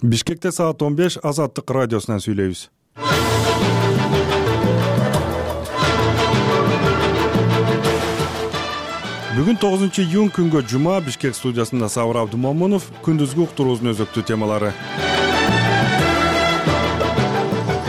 Бишкекте саат 15 Азаттык радиосунан сүйлөйбүз. Бүгүн 9-июнь күнгө жума Бишкек студиясында Сабыр Абдумомунов, күндүзгү уктуруубуздун өзөктүү темалары.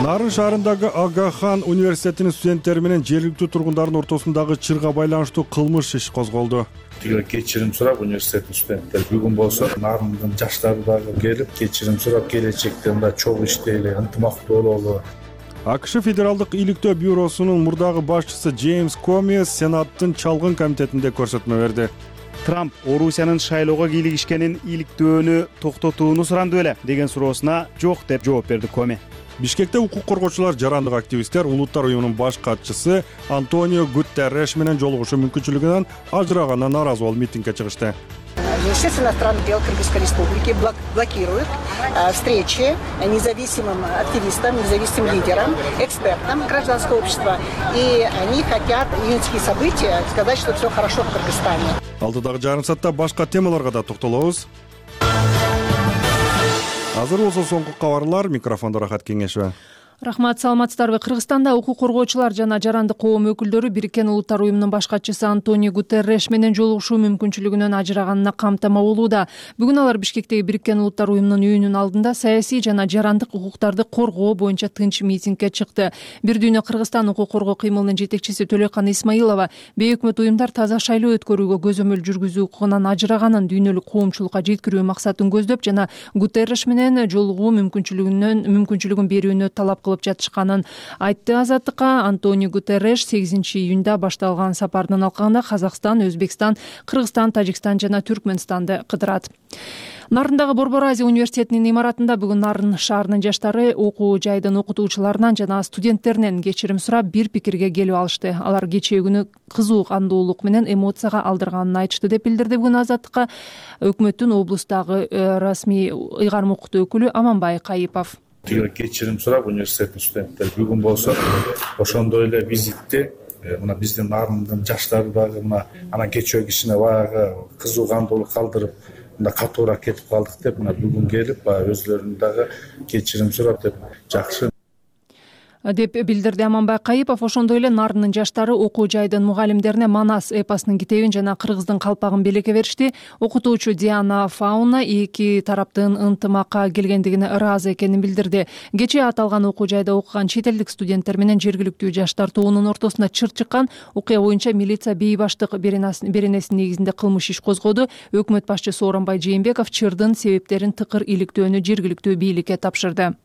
Нарын шаарындагы Ага-хан университетинин студенттери менен жергиликтүү тургундардын ортосундагы чырга байланыштуу кылмыш иш козголду. Кечирим сурап университеттин студенттери бүгүн болсо Нарындын жаштары дагы келип кечирим сурап келечекте мындай чогуу иштейли, ынтымактуу бололу. АКШ Федералдык иликтөө бюросунун мурдагы башчысы Джеймс Коми Сенаттын чалгын комитетинде көрсөтмө берди. Трамп Орусиянын шайлоого кийлигишкенин иликтөөнү токтотууну суранды беле деген суроосуна жок деп жооп берди Коми. Бишкекте укук коргоочулар, жарандык активисттер Улуттар уюмунун баш катчысы Антонио Гутерреш менен жолугушуу мүмкүнчүлүгүнөн ажыраганына нааразы болуп митингге чыгышты. Министерство иностранных дел Кыргызской республики блокирует встречи независимым активистам, независимым лидерам, экспертам гражданского общества. И они хотят июньские события сказать, что все хорошо в Кыргызстане. Алдыдагы жарым саатта башка темаларга да токтолобуз. Азыр болсо соңку кабарлар. Микрофондо Рахат Кеңешева. Рахмат, саламатсыздарбы? Кыргызстанда укук коргоочулар жана жарандык коом өкүлдөрү Бириккен Улуттар уюмунун баш катчысы Антонио Гутерреш менен жолугушуу мүмкүнчүлүгүнөн ажыраганына камтама болууда. Бүгүн алар Бишкектеги Бириккен Улуттар уюмунун үйүнүн алдында саясий жана жарандык укуктарды коргоо боюнча тынч митингге чыкты. Бир дүйнө Кыргызстан укук коргоо кыймылынын жетекчиси Төлөкан Исмаилова бейөкмөт уюмдар таза шайлоо өткөрүүгө көзөмөл жүргүзүү укугунан ажыраганын дүйнөлүк коомчулукка жеткирүү максатын көздөп жана Гутерреш менен жолугуу мүмкүнчүлүгүн берүүнү талап кылып жатышканын айтты. Азаттыкка Антонио Гутерреш 8-июнда башталган сапардын алкагында Казакстан, Өзбекстан, Кыргызстан, Тажикстан жана Түркмөнстанды кыдырат. Нарындагы Борбор Азия университетинин имаратында бүгүн Нарын шаарынын жаштары окуу жайдын окутуучуларынан жана студенттеринен кечирим сурап бир пикирге келип алышты. Алар кечээ күнү кызуу кандуулук менен эмоцияга алдырганын айтышты деп билдирди бүгүн Азаттыкка өкмөттүн облустагы расмий ыйгарым окутуу өкүлү Аманбай Кайыпов. Кечирим сурап университеттин студенттери бүгүн болсо ошондой эле визитти мына биздин Нарындын жаштары дагы мына анан кечээ кишине баягы кызуу кандуулук калтырып мына катуураак кетип калдык деп мына бүгүн келип баягы өзлөрүнүн дагы кечирим сурап деп жакшы деп билдирди Аманбай Кайыпов. Ошондой эле Нарынын жаштары окуу жайдын мугалимдерине Манас эпосунун китебин жана кыргыздын калпагын белекке беришти. Окутуучу Диана Фауна эки тараптын ынтымакка келгендигине ыраазы экенин билдирди. Кечээ аталган окуу жайда окуган чет элдик студенттер менен жергиликтүү жаштар тобунун ортосуна чыр чыккан. Окуя боюнча милиция бейбаштык беренесинин негизинде кылмыш иш козгоду. Өкмөт башчысы Сооронбай Жээнбеков чырдын себептерин тыкыр иликтөөнү жергиликтүү бийликке тапшырды.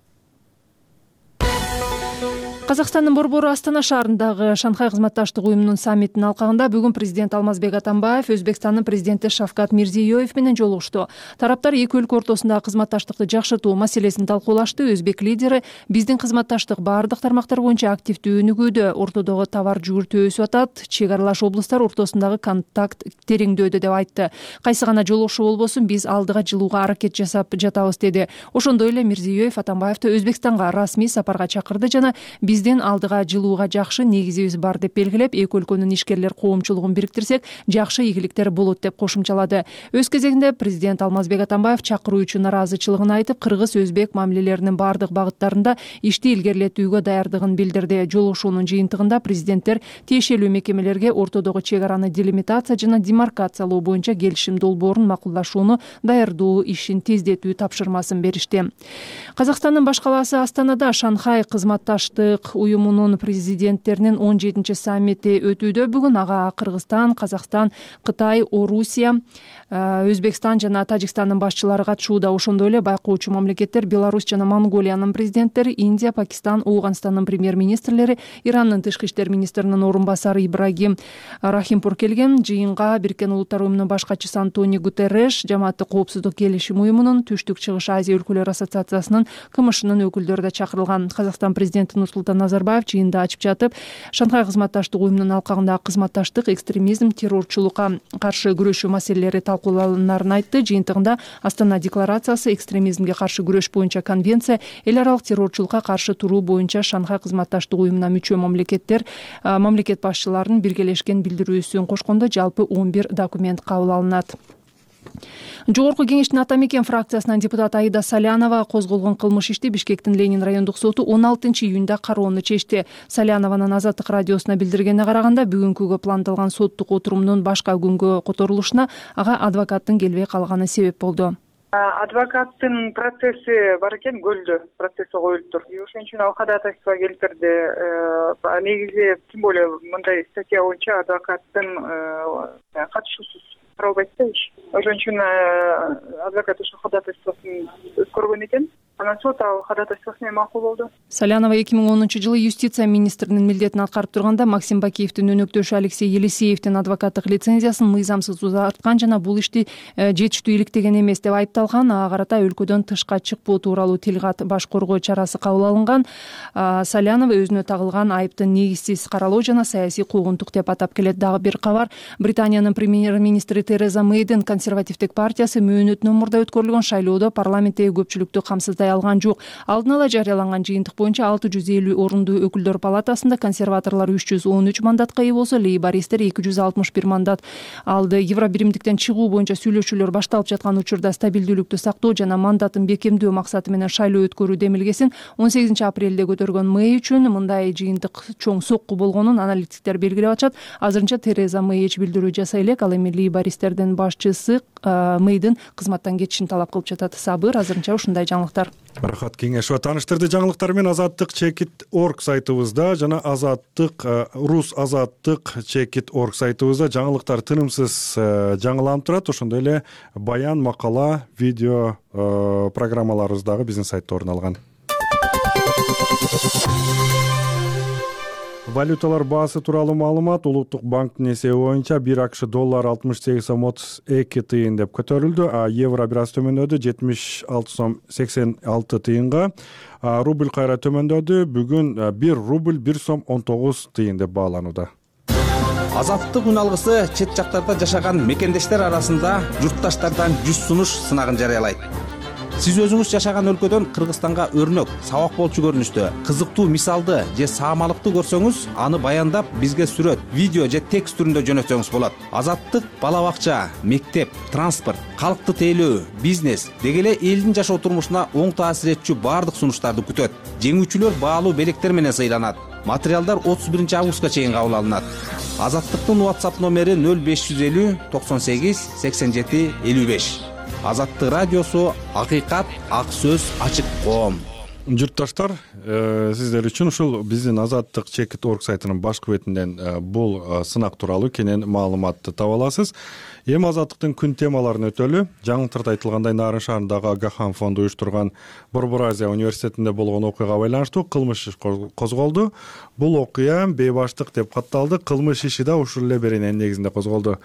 Казакстандын борбору Астана шаарындагы Шанхай кызматташтык уюмунун саммитинин алкагында бүгүн президент Алмазбек Атамбаев Өзбекстандын президенти Шавкат Мирзиёев менен жолугушту. Тараптар эки өлкө ортосундагы кызматташтыкты жакшыртуу маселесин талкуулашты. Өзбек лидери биздин кызматташтык баардык тармактар боюнча активдүү өнүгүүдө, ортодогу товар жүгүртүү өсүп атат, чек аралаш облустар ортосундагы контакт тереңдөөдө деп айтты. Кайсы гана жолугушуу болбосун биз алдыга жылууга аракет жасап жатабыз деди. Ошондой эле Мирзиёев Атамбаевди Өзбекстанга расмий сапарга чакырды жана биздин алдыга жылууга жакшы негизибиз бар деп белгилеп, эки өлкөнүн ишкерлер коомчулугун бириктирсек, жакшы ийгиликтер болот деп кошумчалады. Өз кезегинде президент Алмазбек Атамбаев чакыруу үчүн наразычылыгын айтып, кыргыз-өзбек мамилелеринин баардык багыттарында ишти илгерилетүүгө даярдыгын билдирди. Жолугушуунун жыйынтыгында президенттер тиешелүү мекемелерге ортодогу чек араны делимитация жана демаркациялоо боюнча келишим долбоорун макулдашууну даярдоо ишин тездетүү тапшырмасын беришти. Казакстандын баш калаасы Астанада Шанхай кызматташтык уюмунун президенттеринин 17-саммити өтүүдө. Бүгүн ага Кыргызстан, Казакстан, Кытай, Орусия, Өзбекстан жана Тажикстандын башчылары катышууда. Ошондой эле байкоочу мамлекеттер Беларусь жана Монголиянын президенттери, Индия, Пакистан, Ооганстандын премьер-министрлери, Ирандын тышкы иштер министринин орун басары Ибрагим Рахимпур келген. Жыйынга Бириккен Улуттар уюмунун баш катчысы Антонио Гутерреш, Жамааттык коопсуздук келишим уюмунун, Түштүк Чыгыш Азия өлкөлөр ассоциациясынын КМШнын өкүлдөрү да чакырылган. Казакстан президенти Нурсултан Назарбаев жыйында ачып жатып, Шанхай кызматташтык уюмунун алкагындагы кызматташтык, экстремизм, террорчулукка каршы күрөшүү маселелери талкууланарын айтты. Жыйынтыгында Астана декларациясы, экстремизмге каршы күрөш боюнча конвенция, эл аралык террорчулукка каршы туруу боюнча Шанхай кызматташтык уюмуна мүчө мамлекет башчыларынын биргелешкен билдирүүсүн кошкондо жалпы 11 документ кабыл алынат. Жогорку кеңештин Ата мекен фракциясынын депутаты Аида Салянова козголгон кылмыш ишти Бишкектин Ленин райондук соту 16-июнда кароону чечти. Салянованын Азаттык радиосуна билдиргенине караганда, бүгүнкүгө пландалган соттук отурумдун башка күнгө которулушуна ага адвокаттын келбей калганы себеп болду. Адвокаттын процесси бар экен, көлдө процесси коюлуптур. Ошон үчүн ал ходатайство келтирди. Негизи тем более мындай статья боюнча адвокаттын катышуусуз каралбайт да иш. Ошон үчүн адвокат ошо ходатайствосын өткөргөн экен. Анан сот ал ходатайствосы менен макул болду. Салянова 2010-жылы юстиция министринин милдетин аткарып турганда Максим Бакиевдин өнөктөшү Алексей Елисеевдин адвокаттык лицензиясын мыйзамсыз узарткан жана бул ишти жетиштүү иликтеген эмес деп айыпталган. Ага карата өлкөдөн тышка чыкпоо тууралуу тилгат баш коргоо чарасы кабыл алынган. Салянова өзүнө тагылган айыптын негизсиз каралуу жана саясий куугунтук деп атап келет. Дагы бир кабар, Британиянын премьер-министри Тереза Мэйдин консервативдик партиясы мөөнөтүнөн мурда өткөрүлгөн шайлоодо парламенттеги көпчүлүктү камсыздай алган жок. Алдын ала жарыяланган жыйынтык боюнча 650 орундуу өкүлдөр палатасында консерваторлор 313 мандатка ээ болсо, лейбористтер 261 мандат алды. Евробиримдиктен чыгуу боюнча сүйлөшүүлөр башталып жаткан учурда стабилдүүлүктү сактоо жана мандатын бекемдөө максаты менен шайлоо өткөрүү демилгесин 18 апрелде көтөргөн Мэй үчүн мындай жыйынтык чоң сокку болгонун аналитиктер белгилеп атышат. Азырынча Тереза Мэй эч билдирүү жасай элек, ал эми лейбористтердин башчысы Мэйдин кызматтан кетишин талап кылып жатат. Сабыр, азырынча ушундай жаңылыктар. Рахат Кеңешова тааныштырды. Жаңылыктар менен Азаттык.org сайтыбызда жана Рус Азаттык.org сайтыбызда жаңылыктар тынымсыз жаңыланып турат. Ошондой эле баян, макала, видео программаларыбыз дагы биздин сайтта орун алган. Валюталар баасы тууралуу маалымат. Улуттук банктын эсеби боюнча 1 АКШ доллар 68 сом 32 тыйын деп көтөрүлдү. Евро бир аз төмөндөдү, 76 сом 86 тыйынга. Рубль кайра төмөндөдү. Бүгүн 1 рубль 1 сом 19 тыйын деп бааланууда. Азаттык үн алгысы чет жактарда жашаган мекендештер арасында журтташтардан 100 сунуш сынагын жарыялайт. Сиз өзүңүз жашаган өлкөдөн Кыргызстанга өрнөк, сабак болчу көрүнүштө, кызыктуу мисалды же саамалыкты көрсөңүз, аны баяндап бизге сүрөт, видео же текст түрүндө жөнөтсөңүз болот. Азаттык бала бакча, мектеп, транспорт, калкты тейлөө, бизнес деги эле элдин жашоо турмушуна оң таасир этчү баардык сунуштарды күтөт. Жеңүүчүлөр баалуу белектер менен сыйланат. Материалдар 31 августка чейин кабыл алынат. Азаттыктын WhatsApp номери 0550 98 87 55. Азаттык радиосу, акыйкат, ак сөз, ачык коом. Журтташтар, сиздер үчүн ушул биздин Азаттык.org сайтынын башкы бетинен бул сынак тууралуу кенен маалыматты таба аласыз. Эми Азаттыктын күн темаларын өтөлү. Жаңылыктарда айтылгандай, Нарын шаарындагы Агахан фонду уюштурган Борбор Азия университетинде болгон окуяга байланыштуу кылмыш иш козголду. Бул окуя бейбаштык деп катталды. Кылмыш иши да ушул эле берененин негизинде козголду.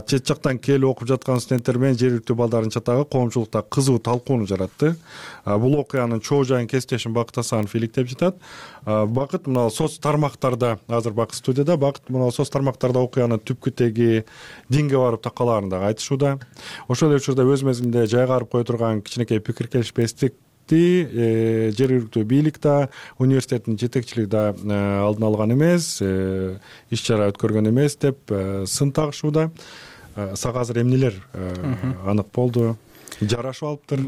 Чет жактан келип окуп жаткан студенттер менен жергиликтүү балдардын чатагы коомчулукта кызуу талкууну жаратты. Бул окуянын чоо жайын кесиптешим Бакыт Асанов иликтеп жатат. Бакыт мына соц тармактарда, азыр Бакыт студияда, Бакыт мына соц тармактарда окуянын түпкү теги динге барып такалаарын дагы айтышууда. Ошол эле учурда өз мезгилинде жайгарып кое турган кичинекей пикир келишпестикти жергиликтүү бийлик да, университеттин жетекчилиги да алдын алган эмес, иш чара өткөргөн эмес деп сын тагышууда. Сага азыр эмнелер анык болду? Жарашып алыптыр.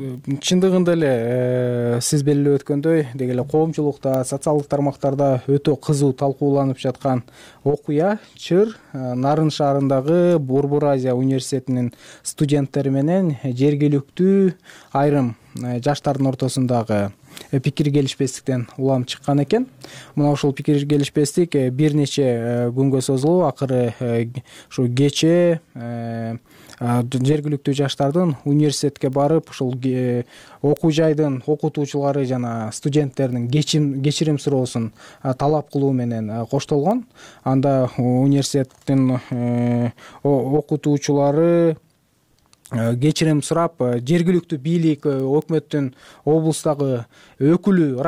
Чындыгында эле сиз белгилеп өткөндөй, деги эле коомчулукта, социалдык тармактарда өтө кызуу талкууланып жаткан окуя чыр Нарын шаарындагы Борбор Азия университетинин студенттери менен жергиликтүү айрым жаштардын ортосундагы пикир келишпестиктен улам чыккан экен. Мына ушул пикир келишпестик бир нече күнгө созулуп, акыры ушу кечээ жергиликтүү жаштардын университетке барып, ушул окуу жайдын окутуучулары жана студенттердин кечирим суроосун талап кылуу менен коштолгон. Анда университеттин окутуучулары кечирим сурап, жергиликтүү бийлик, өкмөттүн облустагы өкүлү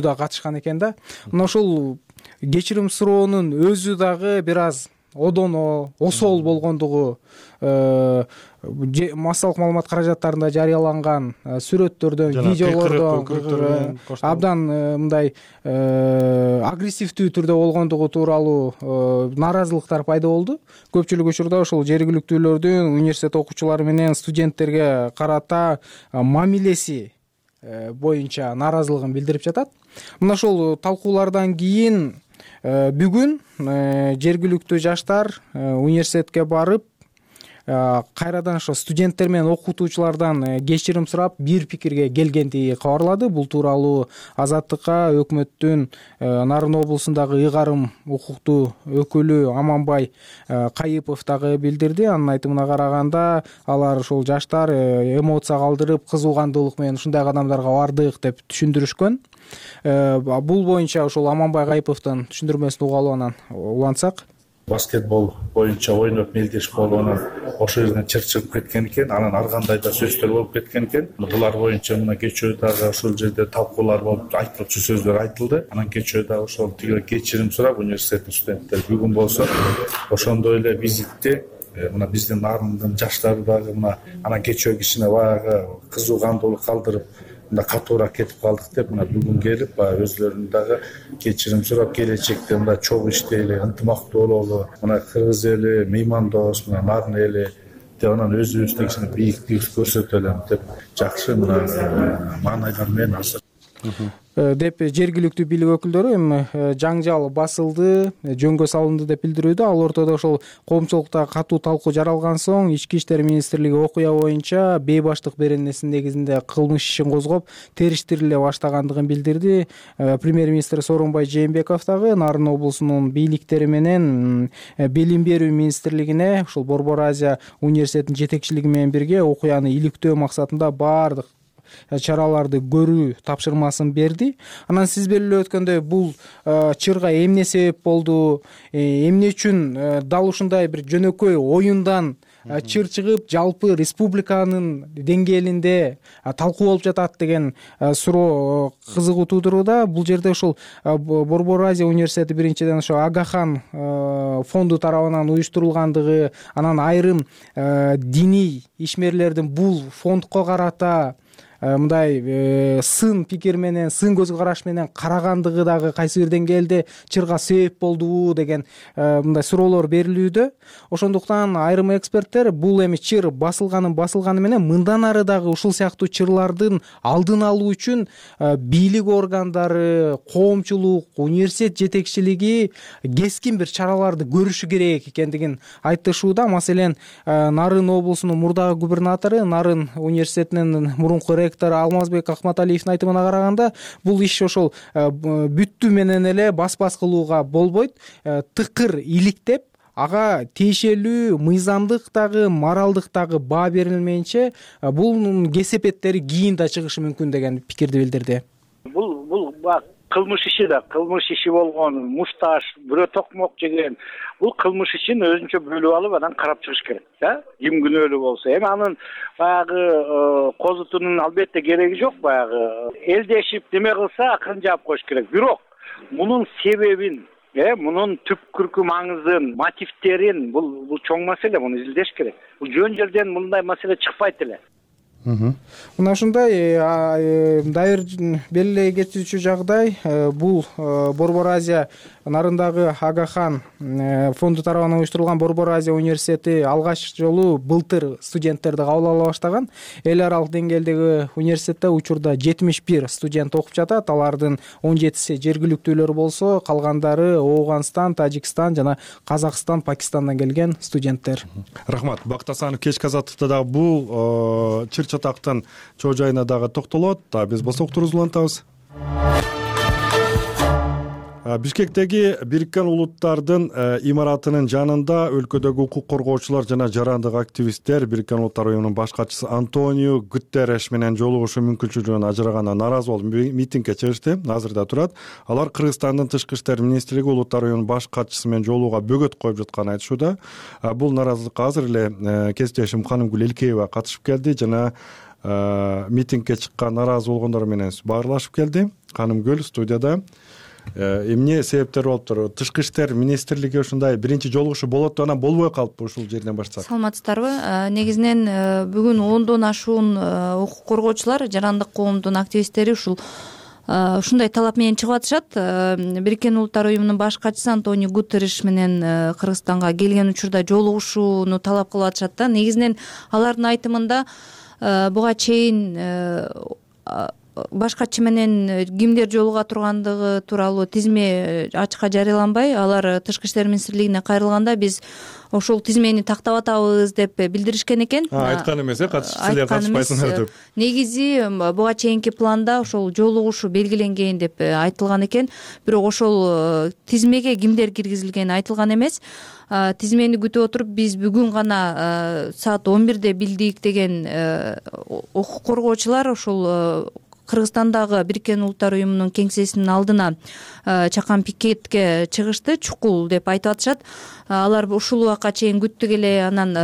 да катышкан экен да. Мына ушул кечирим суроонун өзү дагы бир аз одоно, осол болгондугу массалык маалымат каражаттарында жарыяланган сүрөттөрдөн, видеолордон абдан мындай агрессивдүү түрдө болгондугу тууралуу нааразылыктар пайда болду. Көпчүлүк учурда ошол жергиликтүүлөрдүн университет окуучулары менен студенттерге карата мамилеси боюнча нааразылыгын билдирип жатат. Мына ошол талкуулардан кийин бүгүн жергиликтүү жаштар университетке барып кайрадан ошо студенттер менен окутуучулардан кечирим сурап бир пикирге келгендиги кабарлады. Бул тууралуу Азаттыкка өкмөттүн Нарын облусундагы ыйгарым укуктуу өкүлү Аманбай Кайыпов дагы билдирди. Анын айтымына караганда алар ушул жаштар эмоция калтырып, кызуугандуулук менен ушундай кадамдарга бардык деп түшүндүрүшкөн. Бул боюнча ушул Аманбай Кайыповдун түшүндүрмөсүн угалы анан улантсак. Баскетбол боюнча ойноп мелдеш болуп анан ошол жерден чыр чыгып кеткен экен, анан ар кандай да сөздөр болуп кеткен экен. Булар боюнча мына кечээ дагы ошол жерде талкуулар болуп, айтылчу сөздөр айтылды. Анан кечээ дагы ошол тиги кечирим сурап университеттин студенттери бүгүн болсо ошондой эле визитте мына биздин Нарындын жаштары дагы мына анан кечээ кичине баягы кызуугандуулук калтырып мында катуураак кетип калдык деп мына бүгүн келип баягы өзлөрүнүн дагы кечирим сурап келечекте мында чогуу иштейли, ынтымактуу бололу, мына кыргыз эли меймандос, мына Нарын эли деп анан өзүбүздү кичине бийиктик көрсөтөлү деп жакшы мына маанайлар менен азыр деп жергиликтүү бийлик өкүлдөрү эми жаңжал басылды, жөнгө салынды деп билдирүүдө. Ал ортодо ошол коомчулукта катуу талкуу жаралган соң Ички иштер министрлиги окуя боюнча бейбаштык беренесинин негизинде кылмыш ишин козгоп териштириле баштагандыгын билдирди. Премьер-министр Сооронбай Жээнбеков дагы Нарын облусунун бийликтери менен Билим берүү министрлигине ушул Борбор Азия университетинин жетекчилиги менен бирге окуяны иликтөө максатында баардык чараларды көрүү тапшырмасын берди. Анан сиз белгилеп өткөндөй бул чырга эмне себеп болду, эмне үчүн дал ушундай бир жөнөкөй оюндан чыр чыгып жалпы республиканын деңгээлинде талкуу болуп жатат деген суроо кызыгуу туудурууда. Бул жерде ушул Борбор Азия университети биринчиден ошо Агахан фонду тарабынан уюштурулгандыгы, анан айрым диний ишмерлердин бул фондко карата мындай сын пикир менен, сын көз караш менен карагандыгы дагы кайсы бир деңгээлде чырга себеп болдубу деген мындай суроолор берилүүдө. Ошондуктан айрым эксперттер бул эми чыр басылганы менен мындан ары дагы ушул сыяктуу чырлардын алдын алуу үчүн бийлик органдары, коомчулук, университет жетекчилиги кескин бир чараларды көрүшү керек экендигин айтышууда. Маселен, Нарын облусунун мурдагы губернатору, Нарын университетинин мурунку ректору Алмазбек Акматалиевдин айтымына караганда, бул иш ошол бүттүү менен эле бас кылууга болбойт. Тыкыр иликтеп, ага тиешелүү мыйзамдык дагы, моралдык дагы баа берилмейинче бул кесепеттери кийин да чыгышы мүмкүн деген пикирди билдирди. Бул кылмыш иши болгон, мушташ, бирөө токмок жеген, бул кылмыш ишин өзүнчө бөлүп алып анан карап чыгыш керек, ким күнөөлүү болсо. Эми анын баягы козутунун албетте кереги жок, баягы элдешип неме кылса акырын жаап коюш керек. Бирок мунун себебин, мунун түпкүркү маңызын, мотивтерин, бул чоң маселе, муну изилдеш керек. Бул жөн жерден мындай маселе чыкпайт эле. Мына ушундай дайыр белгилей кетүүчү жагдай. Бул Борбор Азия Нарындагы Агахан фонду тарабынан уюштурулган Борбор Азия университети алгач жолу былтыр студенттерди кабыл ала баштаган. Эл аралык деңгээлдеги университетте учурда 71 студент окуп жатат. Алардын 17си жергиликтүүлөр болсо, калгандары Ооганстан, Тажикстан жана Казакстан, Пакистандан келген студенттер. Рахмат. Бакыт Асанов кечки азаттыкта дагы бул чыр чатактын чоо жайына дагы токтолот. Биз болсо уктуруубузду улантабыз. Бишкектеги Бириккен Улуттардын имаратынын жанында өлкөдөгү укук коргоочулар жана жарандык активисттер Бириккен Улуттар уюмунун баш катчысы Антонио Гутерреш менен жолугушуу мүмкүнчүлүгүнөн ажыраганына нааразы болуп митингге чыгышты. Азырда турат. Алар Кыргызстандын тышкы иштер министрлиги Улуттар уюмунун баш катчысы менен жолугууга бөгөт коюп жатканын айтышууда. Бул нааразылыкка азыр эле кесиптешим Канымгүл Элкеева катышып келди жана митингге чыккан нааразы болгондор менен баарлашып келди. Канымгүл студияда. эмне себептер болуптур? Тышкы иштер министрлиги ушундай биринчи жолугушуу болот анан болбой калыппы, ушул жерден баштасак? Саламатсыздарбы? Негизинен бүгүн 10дон ашуун укук коргоочулар, жарандык коомдун активисттери ушундай талап менен чыгып атышат. Бириккен Улуттар уюмунун баш катчысы Антонио Гутерриш менен Кыргызстанга келген учурда жолугушууну талап кылып атышат да. Негизинен алардын айтымында буга чейин баш катчы менен кимдер жолуга тургандыгы тууралуу тизме ачыкка жарыяланбай, алар Тышкы иштер министрлигине кайрылганда биз ошол тизмени тактап атабыз деп билдиришкен экен. Айткан эмес, силер катышпайсыңар деп. Негизи буга чейинки планда ошол жолугушуу белгиленген деп айтылган экен, бирок ошол тизмеге кимдер киргизилгени айтылган эмес. Тизмени күтүп отуруп биз бүгүн гана саат 11де билдик деген укук коргоочулар ошол Кыргызстандагы Бириккен Улуттар уюмунун кеңсесинин алдына чакан пикетке чыгышты, чукул деп айтып атышат. Алар ушул убакка чейин күттүк эле, анан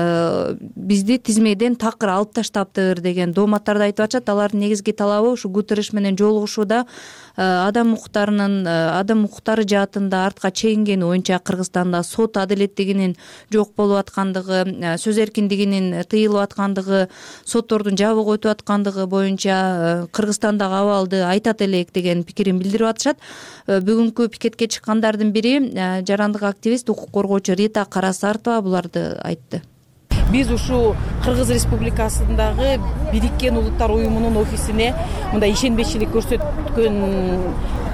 бизди тизмеден такыр алып таштаптыр деген дооматтарды айтып атышат. Алардын негизги талабы ушу Гутерриш менен жолугушууда адам укуктары жаатында артка чегингени боюнча Кыргызстанда сот адилеттигинин жок болуп аткандыгы, сөз эркиндигинин тыйылып аткандыгы, соттордун жабык өтүп аткандыгы боюнча Кыргызстандагы абалды айтат элек деген пикирин билдирип атышат. Бүгүнкү пикетке чыккандардын бири жарандык активист, укук коргоочу Рита Карасартова буларды айтты. Биз ушу Кыргыз Республикасындагы Бириккен Улуттар уюмунун офисине мындай ишенбечилик көрсөткөн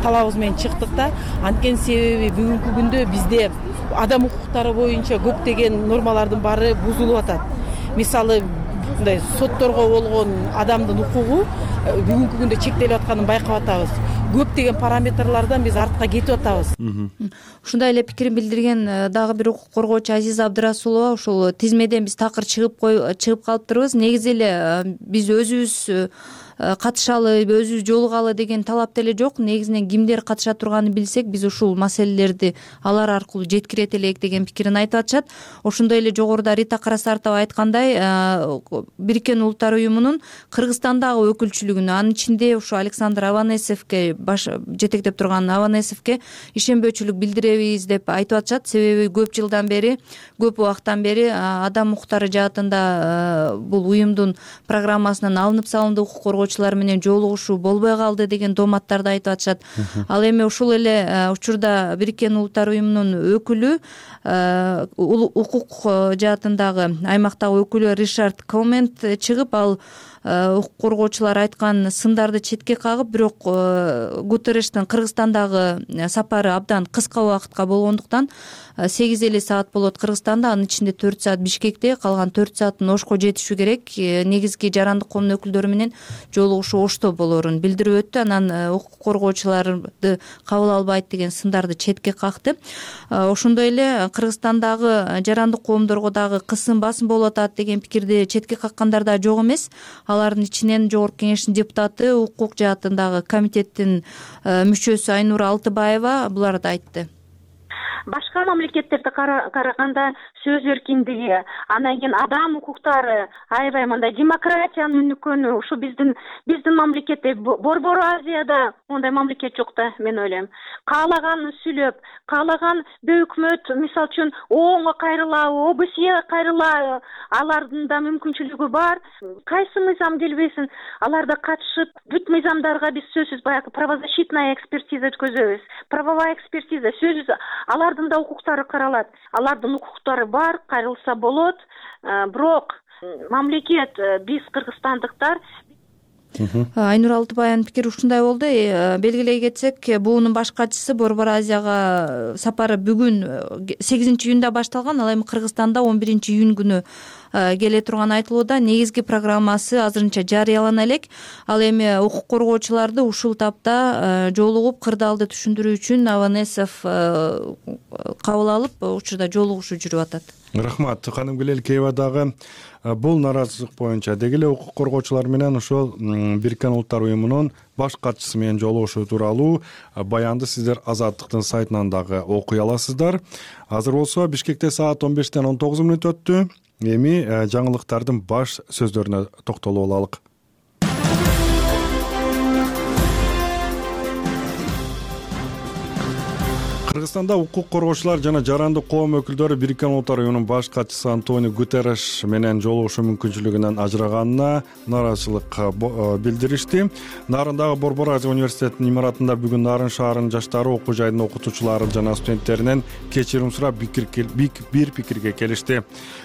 талабыбыз менен чыктык да. Анткени себеби бүгүнкү күндө бизде адам укуктары боюнча көптөгөн нормалардын баары бузулуп атат. Мисалы мындай сотторго болгон адамдын укугу бүгүнкү күндө чектелип атканын байкап атабыз. Көптөгөн параметрлардан биз артка кетип атабыз. Ушундай эле пикирин билдирген дагы бир укук коргоочу Азиза Абдырасулова ушул тизмеден биз такыр чыгып калыптырбыз. Негизи эле биз өзүбүз катышалы, өзүбүз жолугалы деген талап деле жок. Негизинен кимдер катыша турганын билсек, биз ушул маселелерди алар аркылуу жеткирет элек деген пикирин айтып атышат. Ошондой эле жогоруда Рита Карасартова айткандай, Бириккен Улуттар уюмунун Кыргызстандагы өкүлчүлүгүнө, анын ичинде ушу Александр Аванесовке, баш жетектеп турган Аванесовке ишенбөөчүлүк билдиребиз деп айтып атышат. Себеби көп убакыттан бери адам укуктары жаатында бул уюмдун программасынан алынып салынды, укук коргоочулар менен жолугушуу болбой калды деген дооматтарды айтып атышат. Ал эми ушул эле учурда Бириккен Улуттар уюмунун өкүлү, укук жаатындагы аймактагы өкүлү Ришард Комент чыгып, ал укук коргоочулар айткан сындарды четке кагып, бирок Гутерриштин Кыргызстандагы сапары абдан кыска убакытка болгондуктан 8 саат болот Кыргызстанда, анын ичинде 4 саат Бишкекте, калган 4 саатын Ошко жетиши керек. Негизги жарандык коомдун өкүлдөрү менен жолугушуу Ошто болорун билдирип өттү. Анан укук коргоочуларды кабыл албайт деген сындарды четке какты. Ошондой эле Кыргызстандагы жарандык коомдорго дагы кысым басым болуп атат деген пикирди четке каккандар да жок эмес. Алардын ичинен Жогорку Кеңештин депутаты, укук жаатындагы комитеттин мүчөсү Айнура Алтыбаева буларды айтты. Башка мамлекеттерде караганда сөз эркиндиги, анан кийин адам укуктары, аябай мындай демократиянын үнүкөнү ушу биздин мамлекетте, Борбор Азияда ондай мамлекет жок да, мен ойлойм. Каалаганын сүйлөп, каалаган өкмөт, мисалы үчүн ООНго кайрылабы, ОБСЕге кайрылабы, алардын да мүмкүнчүлүгү бар. Кайсы мыйзам келбесин, аларда катышып, бүт мыйзамдарга биз сөзсүз баягы правозащитная экспертиза өткөзөбүз. Правовая экспертиза, сөзсүз алардын да укуктары каралат. Алардын укуктары бар, кайрылса болот. Бирок мамлекет, биз кыргызстандыктар. Айнура Алтыбаеванын пикири ушундай болду. Белгилей кетсек, буунун баш катчысы Борбор Азияга сапары бүгүн 8-июнда башталган. Ал эми Кыргызстанда 11-июнь күнү келе турганы айтылууда. Негизги программасы азырынча жарыялана элек. Ал эми укук коргоочуларды ушул тапта жолугуп кырдаалды түшүндүрүү үчүн Аванесов кабыл алып, учурда жолугушуу жүрүп атат. Рахмат. Ханым Гүлелкеева дагы бул наразычылык боюнча деги эле укук коргоочулар менен ошол Бириккен Улуттар уюмунун баш катчысы менен жолугушуу тууралуу баянды сиздер Азаттыктын сайтынан дагы окуй аласыздар. Азыр болсо Бишкекте саат 15-тен 19 мүнөт өттү. Эми жаңылыктардын баш сөздөрүнө токтолуп алалык. Кыргызстанда укук коргоочулар жана жарандык коом өкүлдөрү Бириккен Улуттар Уюмунун баш катчысы Антонио Гутерриш менен жолугушуу мүмкүнчүлүгүнөн ажыраганына нааразычылык билдиришти. Нарындагы Борбор Азия университетинин имаратында бүгүн Нарын шаарынын жаштары окуу жайдын окутуучулары жана студенттеринен кечирим сурап бир пикирге келишти.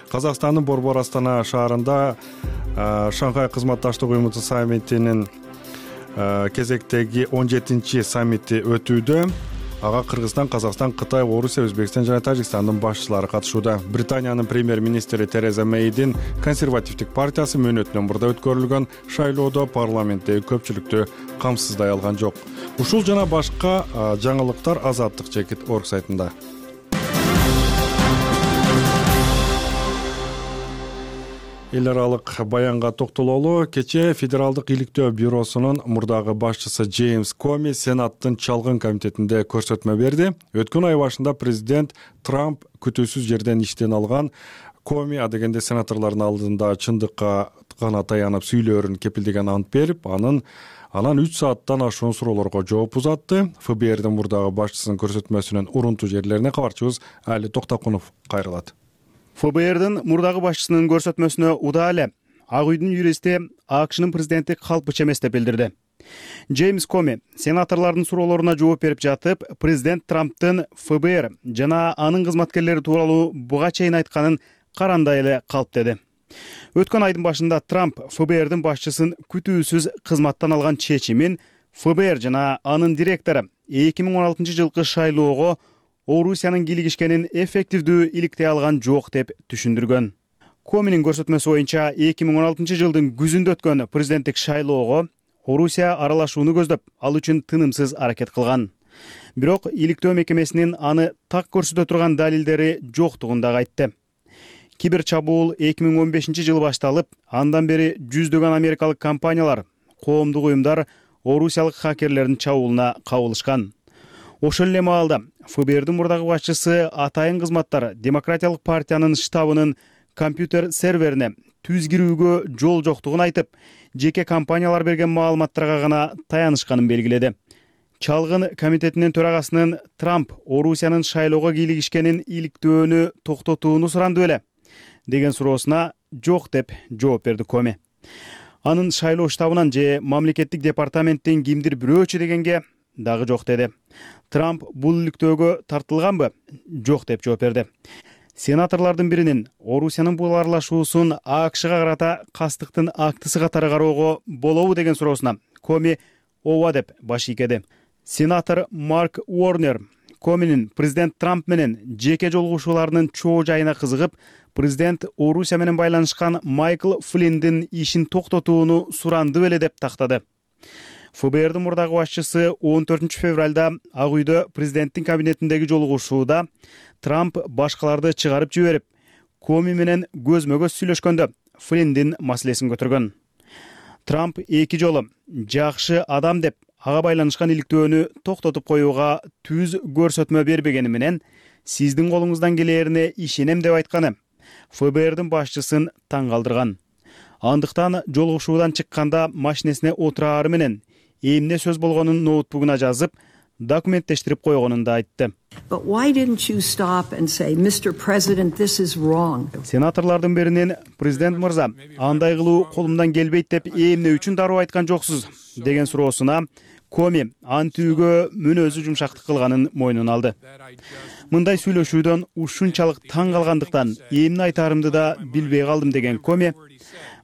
Казакстандын Борбор Астана шаарында Шанхай кызматташтык уюму саммитинин кезектеги 17-чи саммити өтүүдө. Ага Кыргызстан, Казакстан, Кытай, Орусия, Өзбекстан жана Тажикстандын башчылары катышууда. Британиянын премьер-министри Тереза Мейдин консервативдик партиясы мөөнөтүнөн мурда өткөрүлгөн шайлоодо парламенттеги көпчүлүктү камсыздай алган жок. Ушул жана башка жаңылыктар Азаттык.org сайтында. Эл аралык баянга токтололу. Кечээ Федералдык иликтөө бюросунун мурдагы башчысы Джеймс Коми Сенаттын чалгын комитетинде көрсөтмө берди. Өткөн ай башында президент Трамп күтүүсүз жерден иштен алган Коми адегенде сенаторлордун алдында чындыкка гана таянып сүйлөөрүн кепилдеген ант берип, анан 3 сааттан ашуун суроолорго жооп узатты. ФБРдин мурдагы башчысынын көрсөтмөсүнүн урунтуу жерлерине кабарчыбыз Али Токтокунов кайрылат. ФБРдин мурдагы башчысынын көрсөтмөсүнө удаа эле Ак үйдүн юристи АКШнын президенттик калпыча эмес деп билдирди. Джеймс Коми сенаторлордун суроолоруна жооп берип жатып, президент Трамптын ФБР жана анын кызматкерлери тууралуу буга чейин айтканын карандай эле калп деди. Өткөн айдын башында Трамп ФБРдин башчысын күтүүсүз кызматтан алган чечимин ФБР жана анын директору 2016-жылкы шайлоого Орусиянын кийлигишкенин эффективдүү иликтей алган жок деп түшүндүргөн. Коминин көрсөтмөсү боюнча 2016-жылдын күзүндө өткөн президенттик шайлоого Орусия аралашууну көздөп, ал үчүн тынымсыз аракет кылган. Бирок иликтөө мекемесинин аны так көрсөтө турган далилдери жоктугун дагы айтты. Кибер чабуул 2015-жылы башталып, андан бери жүздөгөн америкалык компаниялар, коомдук уюмдар орусиялык хакерлердин чабуулуна кабылышкан. Ошол эле маалда ФБРдин мурдагы башчысы атайын кызматтар Демократиялык партиянын штабынын компьютер серверине түз кирүүгө жол жоктугун айтып, жеке компаниялар берген маалыматтарга гана таянышканын белгиледи. Чалгын комитетинин төрагасынын Трамп Орусиянын шайлоого кийлигишкенин иликтөөнү токтотууну суранды беле деген суроосуна жок деп жооп берди Коми. Анын шайлоо штабынан же мамлекеттик департаменттин кимдир бирөөчү дегенге дагы жок деди. Трамп бул иликтөөгө тартылганбы? Жок деп жооп берди. Сенаторлордун биринин Орусиянын бул аралашуусун АКШга карата кастыктын актысы катары кароого болобу деген суроосуна Коми ооба деп баш ийкеди. Сенатор Марк Уорнер Коминин президент Трамп менен жеке жолугушууларынын чоо жайына кызыгып, президент Орусия менен байланышкан Майкл Флинндин ишин токтотууну суранды беле деп тактады. ФБРдин мурдагы башчысы 14-февралда Ак үйдө президенттин кабинетиндеги жолугушууда Трамп башкаларды чыгарып жиберип, Коми менен көзмө-көз сүйлөшкөндө Флинндин маселесин көтөргөн. Трамп эки жолу жакшы адам деп ага байланышкан иликтөөнү токтотуп коюуга түз көрсөтмө бербегени менен сиздин колуңуздан келээрине ишенем деп айтканы ФБРдин башчысын таң калтырган. Андыктан жолугушуудан чыкканда машинесине отурары менен эмне сөз болгонун ноутбугуна жазып, документтештирип койгонун да айтты. Сенаторлордун биринин президент мырза, андай кылуу колумдан келбейт деп эмне үчүн дароо айткан жоксуз деген суроосуна Коми антүүгө мүнөзү жумшактык кылганын мойнуна алды. Мындай сүйлөшүүдөн ушунчалык таң калгандыктан эмне айтарымды да билбей калдым деген Коми,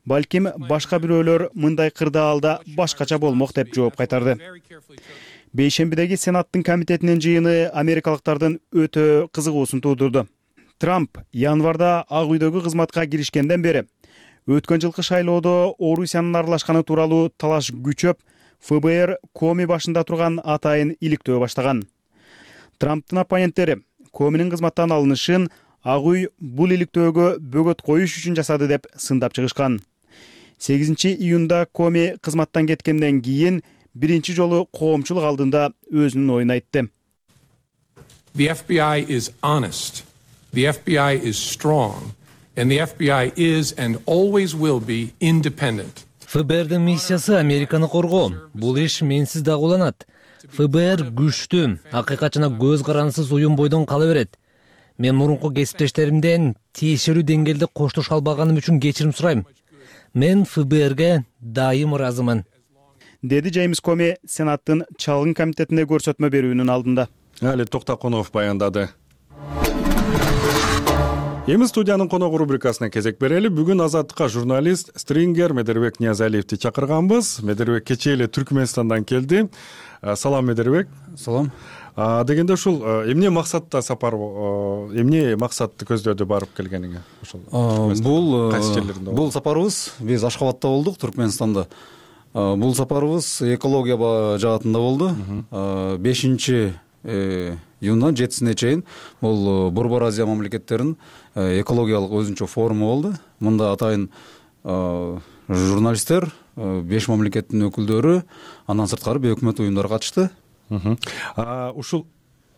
балким башка бирөөлөр мындай кырдаалда башкача болмок деп жооп кайтарды. Бейшембидеги Сенаттын комитетинин жыйыны америкалыктардын өтө кызыгуусун туудурду. Трамп январда Ак үйдөгү кызматка киришкенден бери өткөн жылкы шайлоодо Орусиянын аралашканы тууралуу талаш күчөп, ФБР Коми башында турган атайын иликтөө баштаган. Трамптын оппоненттери Коминин кызматтан алынышын Ак үй бул иликтөөгө бөгөт коюш үчүн жасады деп сындап чыгышкан. 8-июнда Коми кызматтан кеткенден кийин биринчи жолу коомчулук алдында өзүнүн оюн айтты. The FBI is honest. The FBI is strong. And the FBI is and always will be independent. ФБРдин миссиясы Американы коргоо. Бул иш менсиз дагы уланат. ФБР күчтүү, акыйкат жана көз карансыз уюм бойдон кала берет. Мен мурунку кесиптештеримден тиешелүү деңгээлде коштоша албаганым үчүн кечирим сурайм. Мен ФБРге дайым ыраазымын, деди Джеймс Коми Сенаттын чалгын комитетине көрсөтмө берүүнүн алдында. Али Токтакунов баяндады. Эми студиянын коногу рубрикасына кезек берели. Бүгүн Азаттыкка журналист стрингер Медербек Ниязалиевди чакырганбыз. Медербек кечээ эле Түркмөнстандан келди. Салам Медербек. Салам. Дегенде ушул эмне максатта сапар, эмне максатты көздөөдө барып келгениңе? Ушул бул сапарыбыз биз Ашхабадта болдук, Түркмөнстанда. Бул сапарыбыз экология жаатында болду. 5-июндан 7-сине чейин бул Борбор Азия мамлекеттеринин экологиялык өзүнчө форуму болду. Мында атайын журналисттер, 5 мамлекеттин өкүлдөрү, андан сырткары өкмөт уюмдары катышты. Ушул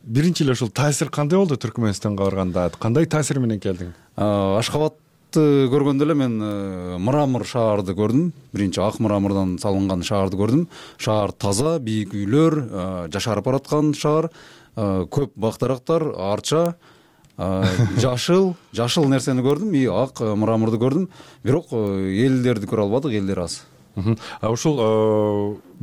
биринчи эле ушул таасир кандай болду Түркмөнстанга барганда? Кандай таасир менен келдиң? Ашхабадты көргөндө эле мен мрамор шаарды көрдүм. Биринчи ак мрамордон салынган шаарды көрдүм. Шаар таза, бийик үйлөр, жашарып бараткан шаар, көп бак-дарактар, арча, жашыл нерсени көрдүм, и ак мраморду көрдүм. Бирок элдерди көрө албадык, элдер аз. Ушул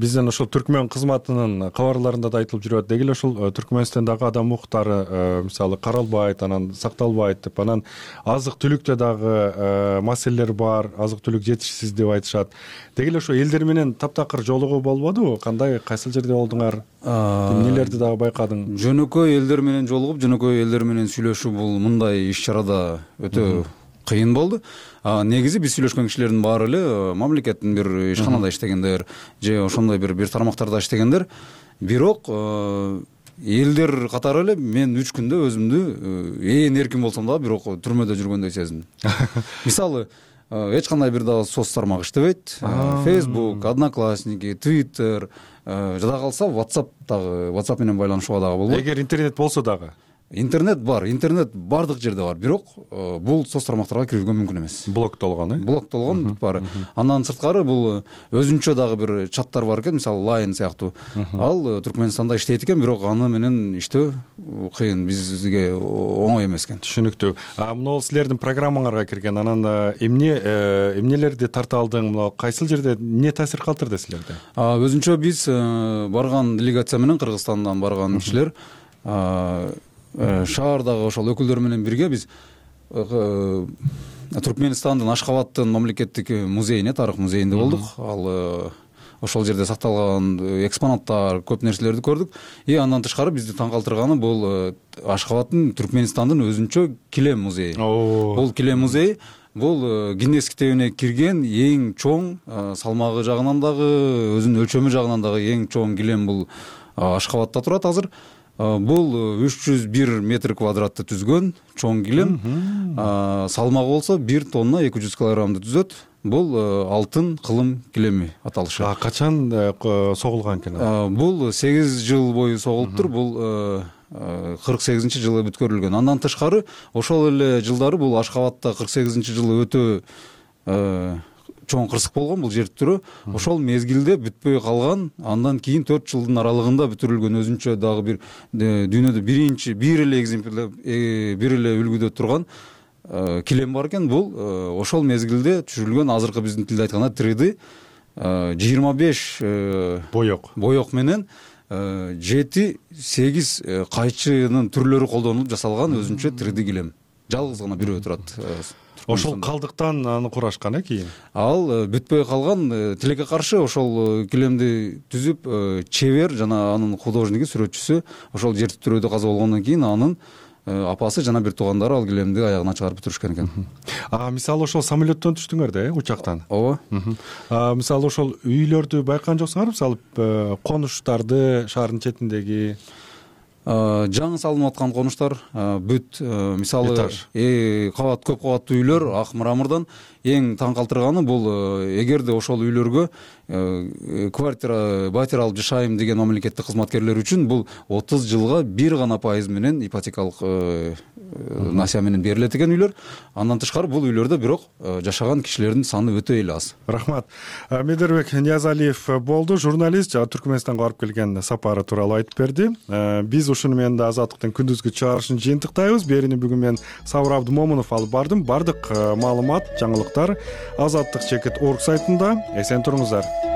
бизден ошол түркмөн кызматынын кабарларында да айтылып жүрөт. Деги эле ушул Түркмөнстандагы адам укуктары мисалы каралбайт, анан сакталбайт деп, анан азык-түлүктө дагы маселелер бар, азык-түлүк жетишсиз деп айтышат. Деги эле ошо элдер менен таптакыр жолугуу болбодубу? Кандай, кайсыл жерде болдуңар? Эмнелерди дагы байкадың? Жөнөкөй элдер менен жолугуп, жөнөкөй элдер менен сүйлөшүү бул мындай иш-чарада өтө кыйын болду. Негизи биз сүйлөшкөн кишилердин баары эле мамлекеттин бир ишканада иштегендер же ошондой бир тармактарда иштегендер. Бирок элдер катары эле мен 3 күндө өзүмдү эркин болсом дагы бирок түрмөдө жүргөндөй сездим. Мисалы, эч кандай бир дагы соц тармак иштебейт. Facebook, Одноклассники, Twitter, жада калса WhatsApp менен байланышууга дагы болбойт. Эгер интернет болсо дагы? Интернет бар, интернет бардык жерде бар, бирок бул соц тармактарга кирүүгө мүмкүн эмес. Блоктолгон, Блоктолгон бар. Андан сырткары бул өзүнчө дагы бир чаттар бар экен, мисалы Line сыяктуу. Ал Түркмөнстанда иштейт экен, бирок аны менен иштөө кыйын, бизге оңой эмес экен. Түшүнүктүү. Мына силердин программаңарга кирген, анан эмнелерди тарта алдың, мына кайсыл жерде эмне таасир калтырды силерде? Өзүнчө биз барган делегация менен Кыргызстандан барган кишилер шаардагы ошол өкүлдөр менен бирге биз Түркмөнстандын Ашхабадтын мамлекеттик музейине, тарых музейинде болдук. Ал ошол жерде сакталган экспонаттар, көп нерселерди көрдүк. И андан тышкары бизди таң калтырганы бул Ашхабадтын Түркмөнстандын өзүнчө килем музейи. Бул килем музей бул Гиннес китебине кирген эң чоң, салмагы жагынан дагы, өзүнүн өлчөмү жагынан дагы эң чоң килем бул Ашхабадта турат азыр. Бул 301 метр квадратты түзгөн чоң килем. Салмагы болсо 1 тонна 200 килограммды түзөт. Бул алтын кылым килеми аталышы. Качан согулган экен? Бул 8 жыл бою согулуптур. Бул 48-жылы бүткөрүлгөн. Андан тышкары ошол эле жылдары бул Ашхабадта 48-жылы өтө чоң кырсык болгон бул жер түрү. Ошол мезгилде бүтпөй калган, андан кийин 4 жылдын аралыгында бүтүрүлгөн өзүнчө дагы бир дүйнөдө бир эле экземпляр, бир эле үлгүдө турган килем бар экен. Бул ошол мезгилде түшүрүлгөн, азыркы биздин тилде айтканда 3D 25 боек менен 7-8 кайчынын түрлөрү колдонулуп жасалган өзүнчө 3D килем. Жалгыз гана бирөө турат. Ошол калдыктан аны курашкан кийин. Ал бүтпөй калган, тилекке каршы ошол килемди түзүп, чебер жана анын художниги, сүрөтчүсү ошол жер титирөөдө каза болгондон кийин анын апасы жана бир туугандары ал килемди аягына чыгарып бүтүрүшкөн экен. Мисалы ошол самолеттон түштүңөр да, учактан? Ооба. Мисалы ошол үйлөрдү байкаган жоксуңарбы? Мисалы конуштарды, шаардын четиндеги жаңы салынып аткан конуштар, бүт, мисалы кабат, көп кабаттуу үйлөр ак мрамордон. Эң таң калтырганы бул, эгерде ошол үйлөргө батир алып жашайм деген мамлекеттик кызматкерлер үчүн бул 30 жылга 1 гана пайыз менен ипотекалык насыя менен берилет экен үйлөр. Андан тышкары бул үйлөрдө бирок жашаган кишилердин саны өтө эле аз. Рахмат. Медербек Ниязалиев болду, журналист, жана Түркмөнстанга барып келген сапары тууралуу айтып берди. Биз ушуну менен да Азаттыктын күндүзгү чыгарылышын жыйынтыктайбыз. Берини бүгүн мен Сабыр Абдымомунов алып бардым. Бардык маалымат, жаңылыктар Азаттык.org сайтында. Эсен туруңуздар.